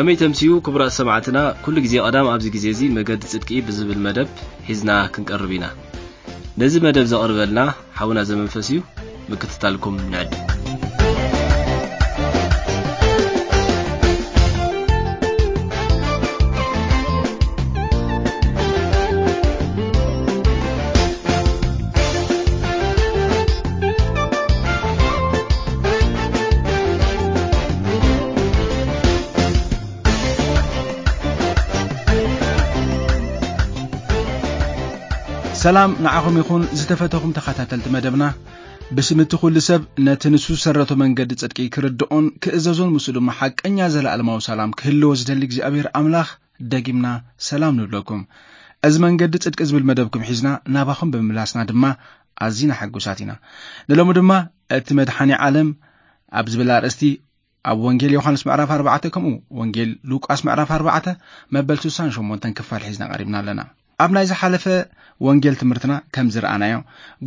ከመይ ተምስዩ ክቡራት ሰማዕትና፣ ኩሉ ግዜ ቀዳም ኣብዚ ግዜ እዚ መገዲ ጽድቂ ብዝብል መደብ ሒዝና ክንቀርብ ኢና። ነዚ መደብ ዘቕርበልና ሓውና ዘመንፈስ እዩ። ምክትታልኩም ንዕድ። ሰላም ንዓኹም ይኹን ዝተፈተኹም ተኸታተልቲ መደብና። ብስም እቲ ኩሉ ሰብ ነቲ ንሱ ዝሰረቶ መንገዲ ጽድቂ ክርድኦን ክእዘዞን ምስኡ ድማ ሓቀኛ ዘለኣለማዊ ሰላም ክህልዎ ዝደሊ እግዚኣብሔር ኣምላኽ ደጊምና ሰላም ንብለኩም። እዚ መንገዲ ጽድቂ ዝብል መደብኩም ሒዝና ናባኹም ብምምላስና ድማ ኣዚና ሕጉሳት ኢና። ንሎሚ ድማ እቲ መድሓኒ ዓለም ኣብ ዝብል ኣርእስቲ ኣብ ወንጌል ዮሃንስ ምዕራፍ ኣርባዕተ ከምኡ ወንጌል ሉቃስ ምዕራፍ ኣርባዕተ መበል ስሳን ሸሞንተን ክፋል ሒዝና ቀሪብና ኣለና። ኣብ ናይ ዝሓለፈ ወንጌል ትምህርትና ከም ዝረኣናዮ፣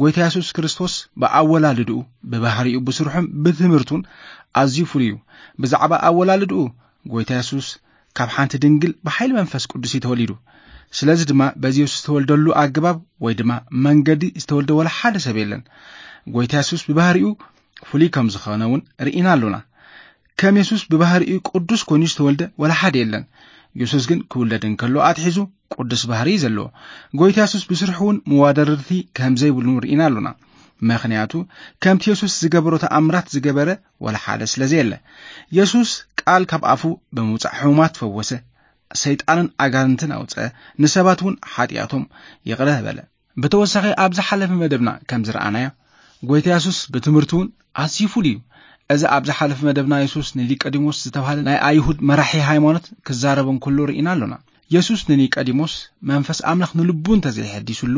ጎይታ የሱስ ክርስቶስ ብኣወላልድኡ፣ ብባህሪኡ፣ ብስርሑን ብትምህርቱን ኣዝዩ ፍሉይ እዩ። ብዛዕባ ኣወላልድኡ፣ ጎይታ የሱስ ካብ ሓንቲ ድንግል ብሓይሊ መንፈስ ቅዱስ እዩ ተወሊዱ። ስለዚ ድማ በዚ የሱስ ዝተወልደሉ ኣገባብ ወይ ድማ መንገዲ ዝተወልደ ወላ ሓደ ሰብ የለን። ጎይታ የሱስ ብባህሪኡ ፍሉይ ከም ዝኾነ እውን ርኢና ኣሎና። ከም የሱስ ብባህሪኡ ቅዱስ ኮይኑ ዝተወልደ ወላ ሓደ የለን። የሱስ ግን ክውለድ እንከሎ ኣትሒዙ ቅዱስ ባህሪ እዩ ዘለዎ። ጎይታ የሱስ ብስርሑ እውን መዋደርቲ ከም ዘይብሉ ርኢና ኣሎና። ምኽንያቱ ከምቲ የሱስ ዝገበሮ ተኣምራት ዝገበረ ወላ ሓደ ስለ ዘየለ። የሱስ ቃል ካብ ኣፉ ብምውጻእ ሕሙማት ፈወሰ፣ ሰይጣንን ኣጋንንትን ኣውጸ፣ ንሰባት እውን ሓጢኣቶም ይቕረ በለ። ብተወሳኺ ኣብ ዝሓለፈ መደብና ከም ዝረኣናዮ፣ ጎይታ የሱስ ብትምህርቱ እውን ኣዝዩ ፍሉይ እዩ። እዚ ኣብ ዝሓለፈ መደብና የሱስ ንኒቆዲሞስ ዝተባህለ ናይ ኣይሁድ መራሒ ሃይማኖት ክዛረብ እንከሎ ርኢና ኣሎና። የሱስ ንኒቆዲሞስ መንፈስ ኣምላኽ ንልቡ እንተዘይሐዲሱሉ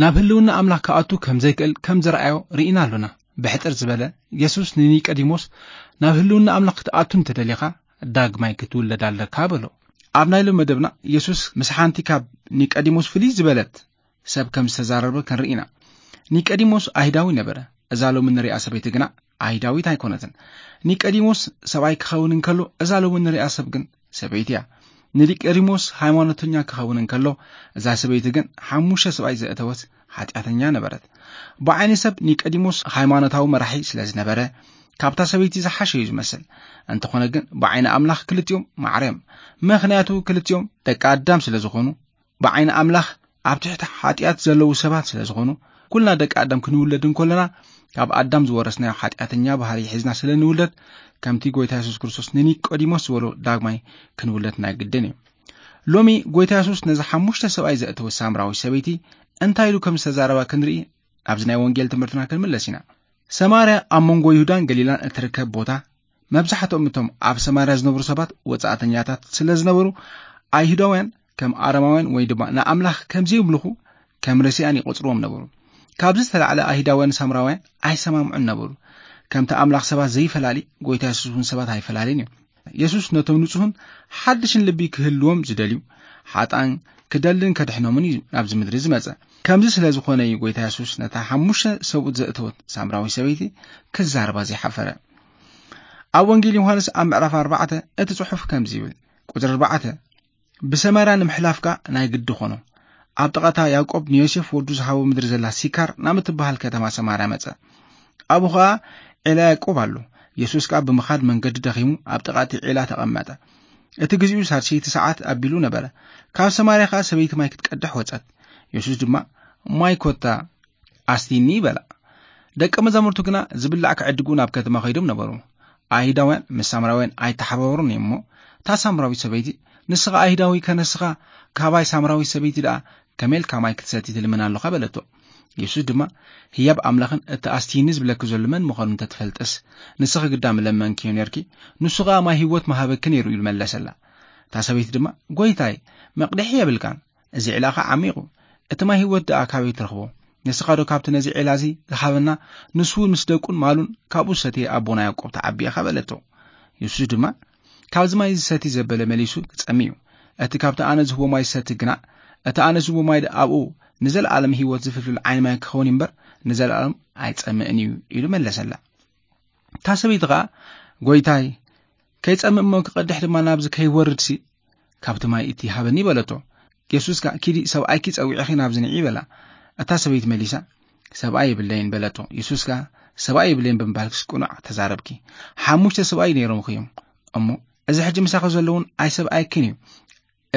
ናብ ህልውና ኣምላኽ ክኣቱ ከም ዘይክእል ከም ዘርኣዮ ርኢና ኣሎና። ብሕጽር ዝበለ፣ የሱስ ንኒቆዲሞስ ናብ ህልውና ኣምላኽ ክትኣቱ እንተደሊኻ ዳግማይ ክትውለድ ኣለካ በሎ። ኣብ ናይ ሎሚ መደብና የሱስ ምስ ሓንቲ ካብ ኒቆዲሞስ ፍልይ ዝበለት ሰብ ከም ዝተዛረበ ክንርኢ ኢና። ኒቆዲሞስ ኣይሁዳዊ ነበረ። እዛ ሎሚ ንሪኣ ሰበይቲ ግና ኣይሁዳዊት ኣይኮነትን። ኒቆዲሞስ ሰብኣይ ክኸውን እንከሎ፣ እዛ ሎሚ ንሪኣ ሰብ ግን ሰበይቲ እያ። ንኒቆዲሞስ ሃይማኖተኛ ክኸውን እንከሎ፣ እዛ ሰበይቲ ግን ሓሙሽተ ሰብኣይ ዘእተወት ሓጢኣተኛ ነበረት። ብዓይኒ ሰብ ኒቆዲሞስ ሃይማኖታዊ መራሒ ስለ ዝነበረ፣ ካብታ ሰበይቲ ዝሓሸ እዩ ዝመስል። እንተኾነ ግን ብዓይኒ ኣምላኽ ክልቲኦም ማዕረ እዮም። ምኽንያቱ ክልቲኦም ደቂ ኣዳም ስለ ዝኾኑ፣ ብዓይኒ ኣምላኽ ኣብ ትሕቲ ሓጢኣት ዘለዉ ሰባት ስለ ዝኾኑ፣ ኩልና ደቂ ኣዳም ክንውለድ እንከለና ካብ ኣዳም ዝወረስናዮ ሓጢኣተኛ ባህሪ ሒዝና ስለ ንውለድ፣ ከምቲ ጎይታ የሱስ ክርስቶስ ንኒቆዲሞስ ዝበሎ ዳግማይ ክንውለድ ናይ ግድን እዩ። ሎሚ ጎይታ የሱስ ነዚ ሓሙሽተ ሰብኣይ ዘእተወ ሳምራዊ ሰበይቲ እንታይ ኢሉ ከም ዝተዛረባ ክንርኢ ናብዚ ናይ ወንጌል ትምህርትና ክንምለስ ኢና። ሰማርያ ኣብ መንጎ ይሁዳን ገሊላን እትርከብ ቦታ፣ መብዛሕትኦም እቶም ኣብ ሰማርያ ዝነብሩ ሰባት ወጻእተኛታት ስለ ዝነበሩ፣ ኣይሁዳውያን ከም ኣረማውያን ወይ ድማ ንኣምላኽ ከም ዘይምልኹ ከም ርስያን ይቖጽርዎም ነበሩ። ካብዚ ዝተላዕለ ኣይሁዳውያን ሳምራውያን ኣይሰማምዑን ነበሩ። ከምቲ ኣምላኽ ሰባት ዘይፈላሊ፣ ጎይታ የሱስ እውን ሰባት ኣይፈላልን እዩ። የሱስ ነቶም ንጹህን ሓድሽን ልቢ ክህልዎም ዝደልዩ ሓጥኣን ክደልን ከድሕኖምን እዩ ናብዚ ምድሪ ዝመጸ። ከምዚ ስለ ዝኾነ እዩ ጎይታ የሱስ ነታ ሓሙሽተ ሰብኡት ዘእተወት ሳምራዊ ሰበይቲ ክዛረባ ዘይሓፈረ። ኣብ ወንጌል ዮሃንስ ኣብ ምዕራፍ ኣርባዕተ እቲ ጽሑፍ ከምዚ ይብል፣ ቁጽሪ ኣርባዕተ፣ ብሰማርያ ንምሕላፍካ ናይ ግዲ ኾኖ። ኣብ ጥቓታ ያዕቆብ ንዮሴፍ ወዱ ዝሃቦ ምድሪ ዘላ ሲካር ናብ እትበሃል ከተማ ሰማርያ መጸ። ኣብኡ ኸኣ ዒላ ያዕቆብ ኣሎ። የሱስ ከኣ ብምኻድ መንገዲ ደኺሙ ኣብ ጥቓ እቲ ዒላ ተቐመጠ። እቲ ግዜኡ ሳልሰይቲ ሰዓት ኣቢሉ ነበረ። ካብ ሰማርያ ኸኣ ሰበይቲ ማይ ክትቀድሕ ወጸት። የሱስ ድማ፣ "ማይ ኮታ ኣስቲኒ" በላ። ደቀ መዛሙርቱ ግና ዝብላዕ ክዕድጉ ናብ ከተማ ኸይዶም ነበሩ። ኣይሁዳውያን ምስ ሳምራውያን ኣይተሓባበሩን እዮም እሞ፣ እታ ሳምራዊት ሰበይቲ፣ "ንስኻ ኣይሁዳዊ ከነስኻ፣ ካባይ ሳምራዊት ሰበይቲ ደኣ ከመይ ኢልካ ማይ ክትሰቲ ትልምን ኣለኻ?" በለቶ። የሱስ ድማ፣ "ህያብ ኣምላኽን እቲ ኣስቲኒ ዝብለኪ ዘሎ መን ምዃኑ እንተትፈልጥስ፣ ንስኺ ግዳ ምለመንክዮ ኔርኪ፣ ንሱ ኸኣ ማይ ህይወት ምሃበኪ ኔሩ" ኢሉ መለሰላ። እታ ሰበይቲ ድማ፣ "ጐይታይ፣ መቕድሒ የብልካን፣ እዚ ዒላ ኸኣ ዓሚቕ እዩ። እቲ ማይ ህይወት ደኣ ካበይ ትረኽቦ? ንስኻ ዶ ካብቲ ነዚ ዒላ እዚ ዝሃበና፣ ንሱ እውን ምስ ደቁን ማሉን ካብኡ ዝሰተየ ኣቦና ያዕቆብ ተዓቢ ኢኻ?" በለቶ። የሱስ ድማ፣ "ካብዚ ማይ ዝሰቲ ዘበለ መሊሱ ክጸሚ እዩ። እቲ ካብቲ ኣነ ዝህቦ ማይ ዝሰቲ ግና፣ እቲ ኣነ ዝህቦ ማይ ኣብኡ ንዘለኣለም ህይወት ዝፍልፍል ዓይኒ ማይ ክኸውን እምበር፣ ንዘለኣለም ኣይጸምእን እዩ" ኢሉ መለሰላ። እታ ሰበይቲ ኸኣ፣ "ጐይታይ፣ ከይጸምእ እሞ ክቐድሕ ድማ ናብዚ ከይወርድሲ ካብቲ ማይ እቲ ሃበኒ በለቶ። የሱስ ከኣ፣ "ኪዲ ሰብኣይኪ ጸዊዕኺ ናብዚ ንዒ" በላ። እታ ሰበይቲ መሊሳ፣ "ሰብኣይ የብለይን" በለቶ። የሱስ ከኣ፣ "ሰብኣይ የብለይን ብምባልክስ ቅኑዕ ተዛረብኪ። ሓሙሽተ ሰብኣይ ነይሮምኺ እዮም። እሞ እዚ ሕጂ ምሳኺ ዘለውን ኣይሰብኣይክን እዩ።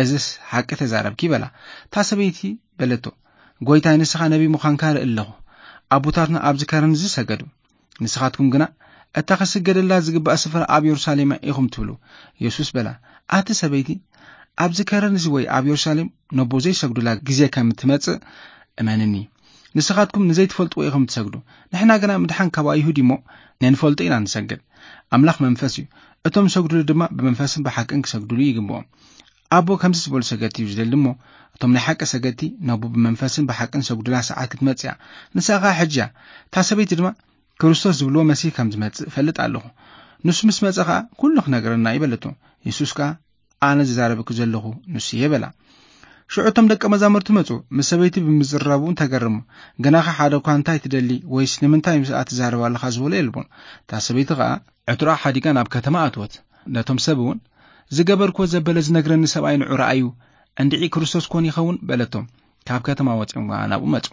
እዝስ ሓቂ ተዛረብኪ" በላ። እታ ሰበይቲ በለቶ፣ "ጐይታይ፣ ንስኻ ነቢ ምዃንካ ርኢ ኣለኹ። ኣቦታትና ኣብዚ ከረን እዚ ሰገዱ። ንስኻትኩም ግና፣ እታ ክስገደላ ዝግባእ ስፍራ ኣብ የሩሳሌም ኢኹም ትብሉ" የሱስ በላ። ኣቲ ሰበይቲ፣ ኣብዚ ከረን እዚ ወይ ኣብ የሩሳሌም ነቦ ዘይሰግዱላ ግዜ ከም ትመጽእ እመንኒ። ንስኻትኩም ንዘይትፈልጥዎ ኢኹም ትሰግዱ። ንሕና ግና ምድሓን ካብ ኣይሁድ እሞ ነንፈልጦ ኢና ንሰግድ። ኣምላኽ መንፈስ እዩ። እቶም ዝሰግዱሉ ድማ ብመንፈስን ብሓቅን ክሰግዱሉ ይግብኦም። ኣቦ ከምዚ ዝበሉ ሰገድቲ እዩ ዝደሊ እሞ፣ እቶም ናይ ሓቂ ሰገድቲ ነቦ ብመንፈስን ብሓቅን ሰግዱላ ሰዓት ክትመጽእ እያ። ንሳ ኸኣ ሕጂ እያ። እታ ሰበይቲ ድማ፣ "ክርስቶስ ዝብልዎ መሲህ ከም ዝመጽእ እፈልጥ ኣለኹ። ንሱ ምስ መጸ ኸኣ ኩሉ ክነግረና እዩ" በለቶ። የሱስ ከኣ፣ "ኣነ ዝዛረበኪ ዘለኹ ንሱ እየ" በላ። ሽዑ እቶም ደቀ መዛሙርቲ መጹ፣ ምስ ሰበይቲ ብምዝራቡ ተገረሙ። ግናኸ ሓደ እኳ፣ "እንታይ ትደሊ?" ወይስ "ንምንታይ ምስኣ ትዛረብ ኣለኻ?" ዝበሎ የልቦን። እታ ሰበይቲ ኸኣ ዕትሮኣ ሓዲጋ ናብ ከተማ ኣትወት። ነቶም ሰብ እውን፣ "ዝገበርክዎ ዘበለ ዝነግረኒ ሰብኣይ ንዑ ረኣዩ፣ እንድዒ ክርስቶስ ኮን ይኸውን?" በለቶም። ካብ ከተማ ወጺኦም ከኣ ናብኡ መጹ።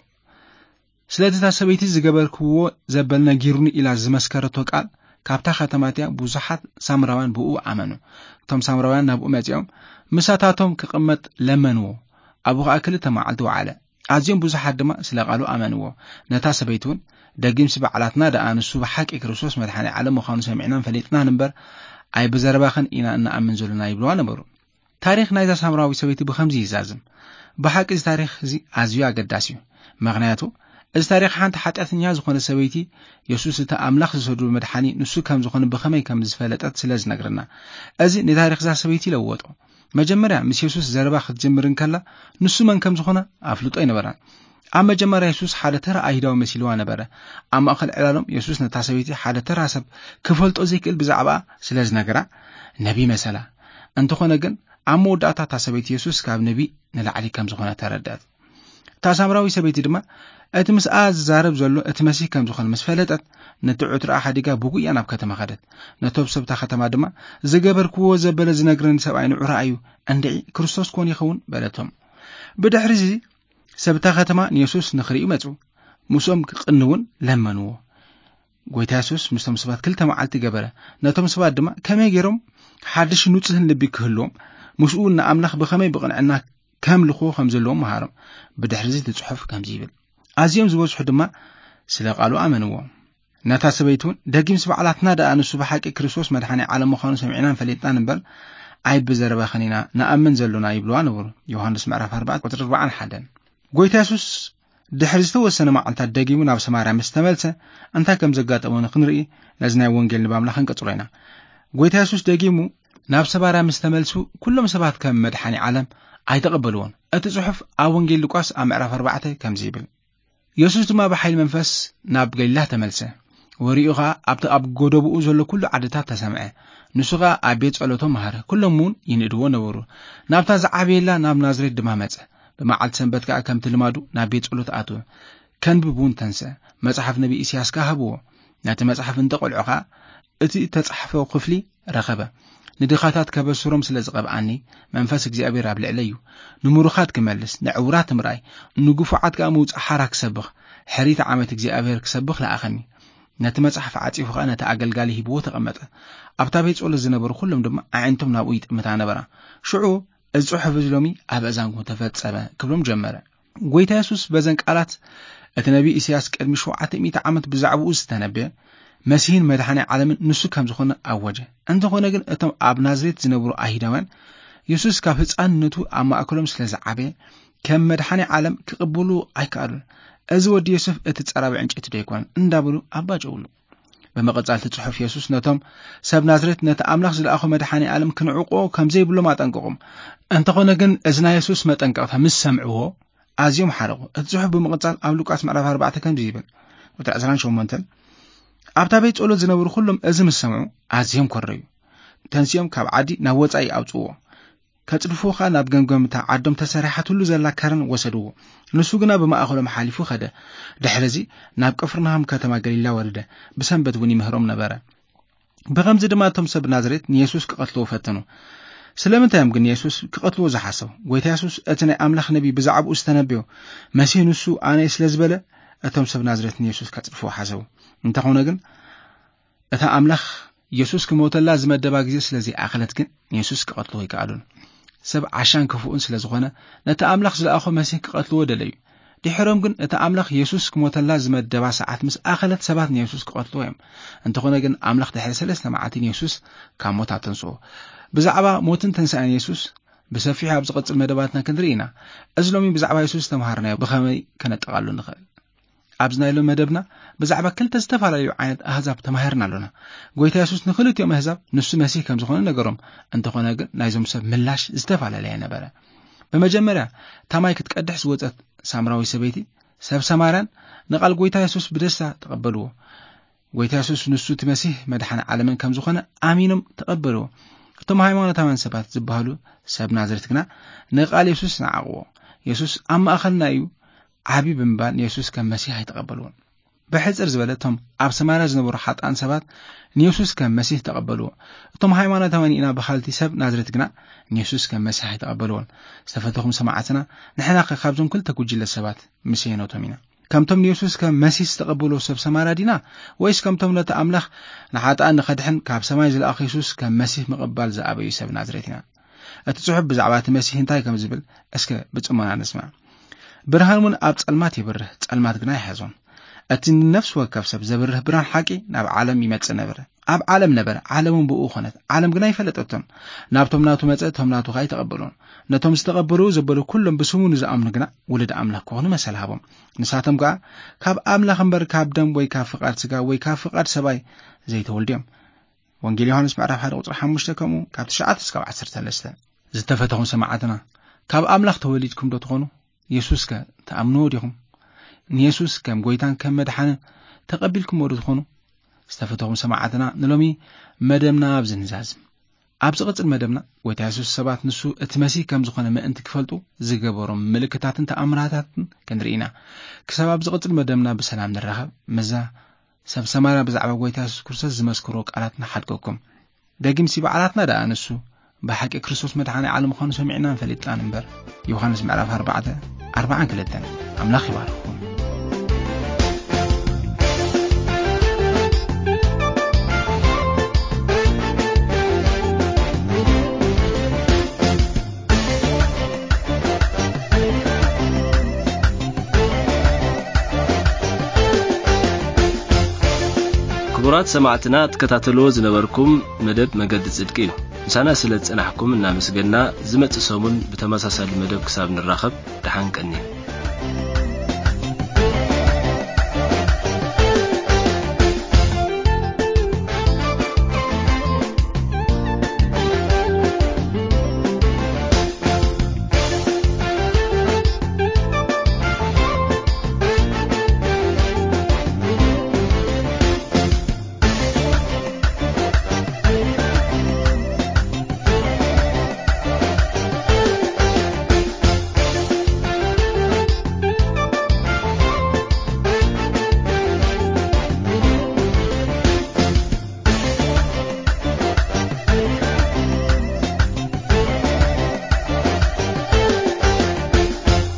ስለቲ እታ ሰበይቲ ዝገበርክዎ ዘበል ነጊሩኒ ኢላ ዝመስከረቶ ቃል፣ ካብታ ከተማ እቲኣ ብዙሓት ሳምራውያን ብኡ ኣመኑ። እቶም ሳምራውያን ናብኡ መጺኦም፣ ምሳታቶም ክቕመጥ ለመንዎ። ኣብኡ ኸኣ ክልተ መዓልቲ ወዓለ። ኣዝዮም ብዙሓት ድማ ስለ ቃሉ ኣመንዎ። ነታ ሰበይቲ እውን፣ "ደጊምሲ ባዕላትና ደኣ ንሱ ብሓቂ ክርስቶስ መድሓኒ ዓለም ምዃኑ ሰሚዕናን ፈሊጥናን እምበር፣ ኣይብዘረባኽን ኢና እንኣምን ዘሎና" ይብልዋ ነበሩ። ታሪኽ ናይዛ ሳምራዊት ሰበይቲ ብኸምዚ ይዛዝም። ብሓቂ እዚ ታሪኽ እዚ ኣዝዩ ኣገዳሲ እዩ። ምኽንያቱ፣ እዚ ታሪኽ ሓንቲ ሓጢኣተኛ ዝኾነ ሰበይቲ፣ የሱስ እቲ ኣምላኽ ዝሰዱ መድሓኒ ንሱ ከም ዝኾነ ብኸመይ ከም ዝፈለጠት ስለ ዝነግረና። እዚ ንታሪኽ እዛ ሰበይቲ ይለወጦ። መጀመርያ ምስ የሱስ ዘረባ ክትጅምር እንከላ፣ ንሱ መን ከም ዝኾነ ኣፍልጦ ኣይነበራን። ኣብ መጀመርያ የሱስ ሓደ ተራ ኣይሁዳዊ መሲልዋ ነበረ። ኣብ ማእከል ዕላሎም የሱስ ነታ ሰበይቲ ሓደ ተራ ሰብ ክፈልጦ ዘይክእል ብዛዕባኣ ስለ ዝነገራ፣ ነቢ መሰላ። እንተኾነ ግን፣ ኣብ መወዳእታ እታ ሰበይቲ የሱስ ካብ ነቢ ንላዕሊ ከም ዝኾነ ተረድአት። እታ ሳምራዊ ሰበይቲ ድማ እቲ ምስኣ ዝዛረብ ዘሎ እቲ መሲህ ከም ዝኾነ ምስ ፈለጠት፣ ነቲ ዕትሮኣ ሓዲጋ ብጉያ ናብ ከተማ ኸደት። ነቶም ሰብታ ከተማ ድማ፣ "ዝገበርክዎ ዘበለ ዝነግረኒ ሰብኣይ ንዑ ረኣዩ፣ እንድዒ ክርስቶስ ኮን ይኸውን?" በለቶም። ብድሕሪ እዚ ሰብታ ከተማ ንየሱስ ንኽርእዩ መጹ። ምስኦም ክቕንውን ለመንዎ። ጎይታ የሱስ ምስቶም ሰባት ክልተ መዓልቲ ገበረ። ነቶም ሰባት ድማ ከመይ ገይሮም ሓድሽ ንጹህን ልቢ ክህልዎም፣ ምስኡ ንኣምላኽ ብኸመይ ብቕንዕና ከምልኽዎ ከም ዘለዎም መሃሮም። ብድሕሪ እዚ እቲ ጽሑፍ ከምዚ ይብል፣ ኣዝዮም ዝበዝሑ ድማ ስለ ቃሉ ኣመንዎ። ነታ ሰበይቲ እውን፣ "ደጊምስ ባዕላትና ደኣ ንሱ ብሓቂ ክርስቶስ መድሓኒ ዓለም ምዃኑ ሰሚዕናን ፈሊጥናን እምበር፣ ኣይብዘረባኽን ኢና ንኣምን ዘሎና" ይብልዋ ነበሩ። ዮሃንስ ምዕራፍ ኣርባዕተ ቁጽሪ ኣርባዓን ሓደን። ጎይታ የሱስ ድሕሪ ዝተወሰነ መዓልታት ደጊሙ ናብ ሰማርያ ምስ ተመልሰ፣ እንታይ ከም ዘጋጠሞ ንኽንርኢ ነዚ ናይ ወንጌል ንባብና ክንቅጽሎ ኢና። ጎይታ የሱስ ደጊሙ ናብ ሰማርያ ምስ ተመልሱ፣ ኩሎም ሰባት ከም መድሓኒ ዓለም ኣይተቐበልዎን። እቲ ጽሑፍ ኣብ ወንጌል ሉቃስ ኣብ ምዕራፍ ኣርባዕተ ከምዚ ይብል፣ "የሱስ ድማ ብሓይሊ መንፈስ ናብ ገሊላ ተመልሰ። ወሬኡ ኸኣ ኣብቲ ኣብ ጎደቦኡ ዘሎ ኩሉ ዓድታት ተሰምዐ። ንሱ ኸኣ ኣብ ቤት ጸሎቶም መሃረ። ኩሎም እውን ይንእድዎ ነበሩ። ናብታ ዝዓበየላ ናብ ናዝሬት ድማ መጸ። ብመዓልቲ ሰንበት ከኣ ከምቲ ልማዱ ናብ ቤት ጸሎት ኣትወ። ከንብብ እውን ተንስአ። መጽሓፍ ነቢ ኢሳያስ ከኣ ሃብዎ። ነቲ መጽሓፍ እንተቐልዖ ኸኣ እቲ እተጻሕፈ ክፍሊ ረኸበ። ንድኻታት ከበስሮም ስለ ዝቐብኣኒ፣ መንፈስ እግዚኣብሔር ኣብ ልዕለይ እዩ። ንምሩኻት ክመልስ፣ ንዕውራት ምርኣይ፣ ንግፉዓት ከኣ ምውጻእ ሓራ ክሰብኽ፣ ሕሪት ዓመት እግዚኣብሔር ክሰብኽ ለኣኸኒ። ነቲ መጽሓፍ ዓጺፉ ኸኣ ነቲ ኣገልጋሊ ሂብዎ ተቐመጠ። ኣብታ ቤት ጸሎት ዝነበሩ ኩሎም ድማ ኣዒንቶም ናብኡ ይጥምታ ነበራ። ሽዑ፣ "እዚ ጽሑፍ እዚ ሎሚ ኣብ ኣእዛንኩም ተፈጸመ" ክብሎም ጀመረ። ጎይታ የሱስ በዘን ቃላት፣ እቲ ነቢ ኢሳያስ ቅድሚ ሸውዓተ ሚእቲ ዓመት ብዛዕባኡ ዝተነበየ መሲህን መድሓኒ ዓለምን ንሱ ከም ዝኾነ ኣወጀ። እንተኾነ ግን፣ እቶም ኣብ ናዝሬት ዝነብሩ ኣይሁዳውያን፣ የሱስ ካብ ህጻንነቱ ኣብ ማእከሎም ስለ ዝዓበየ፣ ከም መድሓኒ ዓለም ክቕበሉ ኣይከኣሉን። "እዚ ወዲ ዮሴፍ እቲ ጸራቢ ዕንጨይቲ ዶ ኣይኮነን?" እንዳበሉ ኣባጨውሉ። ብምቕጻል እቲ ጽሑፍ፣ የሱስ ነቶም ሰብ ናዝሬት ነቲ ኣምላኽ ዝለኣኾ መድሓኒ ዓለም ክንዕቆ ከም ዘይብሎም ኣጠንቀቖም። እንተኾነ ግን፣ እዚ ናይ የሱስ መጠንቀቕታ ምስ ሰምዕዎ፣ ኣዝዮም ሓረቑ። እቲ ጽሑፍ ብምቕጻል ኣብ ሉቃስ ምዕራፍ ኣርባዕተ ከምዚ ይብል፣ ቁጽሪ ዕስራን ሸሞንተን፣ ኣብታ ቤት ጸሎት ዝነበሩ ኩሎም እዚ ምስ ሰምዑ፣ ኣዝዮም ኮረዩ። ተንሲኦም ካብ ዓዲ ናብ ወጻኢ ኣውጽእዎ። ከጽድፍዎ ኸኣ ናብ ገምገምታ ዓዶም ተሰሪሓትሉ ዘላ ከረን ወሰድዎ። ንሱ ግና ብማእከሎም ሓሊፉ ኸደ። ድሕርዚ ናብ ቅፍርናሆም ከተማ ገሊላ ወረደ። ብሰንበት እውን ይምህሮም ነበረ። ብኸምዚ ድማ እቶም ሰብ ናዝሬት ንየሱስ ክቐትልዎ ፈተኑ። ስለምንታይ እዮም ግን ንየሱስ ክቐትልዎ ዝሓሰቡ? ጎይታ የሱስ እቲ ናይ ኣምላኽ ነቢ ብዛዕባኡ ዝተነበዮ መሲህ ንሱ ኣነ እየ ስለ ዝበለ፣ እቶም ሰብ ናዝሬት ንየሱስ ከጽድፍዎ ሓሰቡ። እንተኾነ ግን እታ ኣምላኽ የሱስ ክሞተላ ዝመደባ ግዜ ስለ ዘይኣኸለት ግን ንየሱስ ክቐትልዎ ኣይከኣሉን። ሰብ ዓሻን ክፉእን ስለ ዝኾነ ነቲ ኣምላኽ ዝለኣኾ መሲህ ክቐትልዎ ደለዩ። ድሕሮም ግን እቲ ኣምላኽ የሱስ ክሞተላ ዝመደባ ሰዓት ምስ ኣኸለት ሰባት ንየሱስ ክቐትልዎ እዮም። እንተኾነ ግን ኣምላኽ ድሕሪ ሰለስተ መዓልቲ ንየሱስ ካብ ሞት ኣተንስኦ። ብዛዕባ ሞትን ተንሳእን የሱስ ብሰፊሑ ኣብ ዝቐጽል መደባትና ክንርኢ ኢና። እዚ ሎሚ ብዛዕባ የሱስ ዝተምሃርናዮ ብኸመይ ከነጠቓሉ ንኽእል? ኣብዚ ናይ ሎሚ መደብና ብዛዕባ ክልተ ዝተፈላለዩ ዓይነት ኣህዛብ ተማሂርና ኣሎና። ጎይታ የሱስ ንኽልቲኦም ኣህዛብ ንሱ መሲህ ከም ዝኾነ ነገሮም። እንተኾነ ግን ናይዞም ሰብ ምላሽ ዝተፈላለየ ነበረ። ብመጀመርያ ታማይ ክትቀድሕ ዝወጸት ሳምራዊ ሰበይቲ ሰብ ሰማርያን ንቓል ጎይታ የሱስ ብደስታ ተቐበልዎ። ጎይታ የሱስ ንሱ እቲ መሲህ መድሓኒ ዓለምን ከም ዝኾነ ኣሚኖም ተቐበልዎ። እቶም ሃይማኖታውያን ሰባት ዝበሃሉ ሰብ ናዝሬት ግና ንቓል የሱስ ነዓቕዎ። የሱስ ኣብ ማእኸልና እዩ ዓቢ ብምባል ንየሱስ ከም መሲህ ኣይተቐበልዎን። ብሕጽር ዝበለ እቶም ኣብ ሰማርያ ዝነበሩ ሓጣን ሰባት ንየሱስ ከም መሲህ ተቐበልዎ። እቶም ሃይማኖታውያን ኢና በሃልቲ ሰብ ናዝሬት ግና ንየሱስ ከም መሲህ ኣይተቐበልዎን። ዝተፈተኹም ሰማዕትና፣ ንሕና ከ ካብዞም ክልተ ጉጅለ ሰባት ምስ የኖቶም ኢና? ከምቶም ንየሱስ ከም መሲህ ዝተቐበልዎ ሰብ ሰማርያ ዲና? ወይስ ከምቶም ነቲ ኣምላኽ ንሓጣን ንኸድሕን ካብ ሰማይ ዝለኣኽ የሱስ ከም መሲህ ምቕባል ዝኣበዩ ሰብ ናዝሬት ኢና? እቲ ጽሑፍ ብዛዕባ እቲ መሲህ እንታይ ከም ዝብል እስከ ብጽሞና ንስማዕ። ብርሃን እውን ኣብ ጸልማት ይብርህ፣ ጸልማት ግና ይሓዞን። እቲ ንነፍሲ ወከፍ ሰብ ዘብርህ ብርሃን ሓቂ ናብ ዓለም ይመጽእ ነበረ። ኣብ ዓለም ነበረ፣ ዓለም እውን ብኡ ኾነት፣ ዓለም ግና ኣይፈለጠቶን። ናብቶም ናቱ መጸ፣ እቶም ናቱ ኸኣ ኣይተቐበልዎን። ነቶም ዝተቐበልዎ ዘበሉ ኩሎም ብስሙ ንዝኣምኑ ግና ውሉድ ኣምላኽ ክኾኑ መሰል ሃቦም። ንሳቶም ከኣ ካብ ኣምላኽ እምበር ካብ ደም ወይ ካብ ፍቓድ ስጋ ወይ ካብ ፍቓድ ሰብኣይ ዘይተወልዱ እዮም። ወንጌል ዮሃንስ ምዕራፍ ሓደ ቁጽሪ ሓሙሽተ ከምኡ ካብ ትሽዓተ እስካብ ዓሰርተ ሰለስተ። ዝተፈተኹም ሰማዕትና፣ ካብ ኣምላኽ ተወሊድኩም ዶ ትኾኑ? የሱስ ከ ትኣምንዎ ዲኹም? ንየሱስ ከም ጎይታን ከም መድሓንን ተቐቢልኩምዎ ዶ ትኾኑ? ዝተፈተኹም ሰማዕትና፣ ንሎሚ መደብና ኣብዚ ንዛዝም። ኣብ ዝቕጽል መደብና፣ ጎይታ የሱስ ሰባት ንሱ እቲ መሲህ ከም ዝኾነ ምእንቲ ክፈልጡ ዝገበሮም ምልክታትን ተኣምራታትን ክንርኢ ኢና። ክሳብ ኣብ ዝቕጽል መደብና ብሰላም ንራኸብ። ምስዛ ሰብ ሰማርያ ብዛዕባ ጎይታ የሱስ ክርስቶስ ዝመስክሮ ቃላት ንሓድገኩም። ደጊምሲ ባዕላትና ደኣ ንሱ ብሓቂ ክርስቶስ መድሓኒ ዓለም ምዃኑ ሰሚዕናን ፈሊጥናን እምበር። ዮሃንስ ምዕራፍ ኣርባዕተ፣ ኣርባዓን ክልተን። ኣምላኽ ይባርኽኩም። ክቡራት ሰማዕትና፣ ትከታተልዎ ዝነበርኩም መደብ መገዲ ጽድቂ እዩ። ምሳና ስለ ዝጸናሕኩም እናመስገና፣ ዝመጽእ ሰሙን ብተመሳሳሊ መደብ ክሳብ ንራኸብ፣ ደሓን ቀንዩ።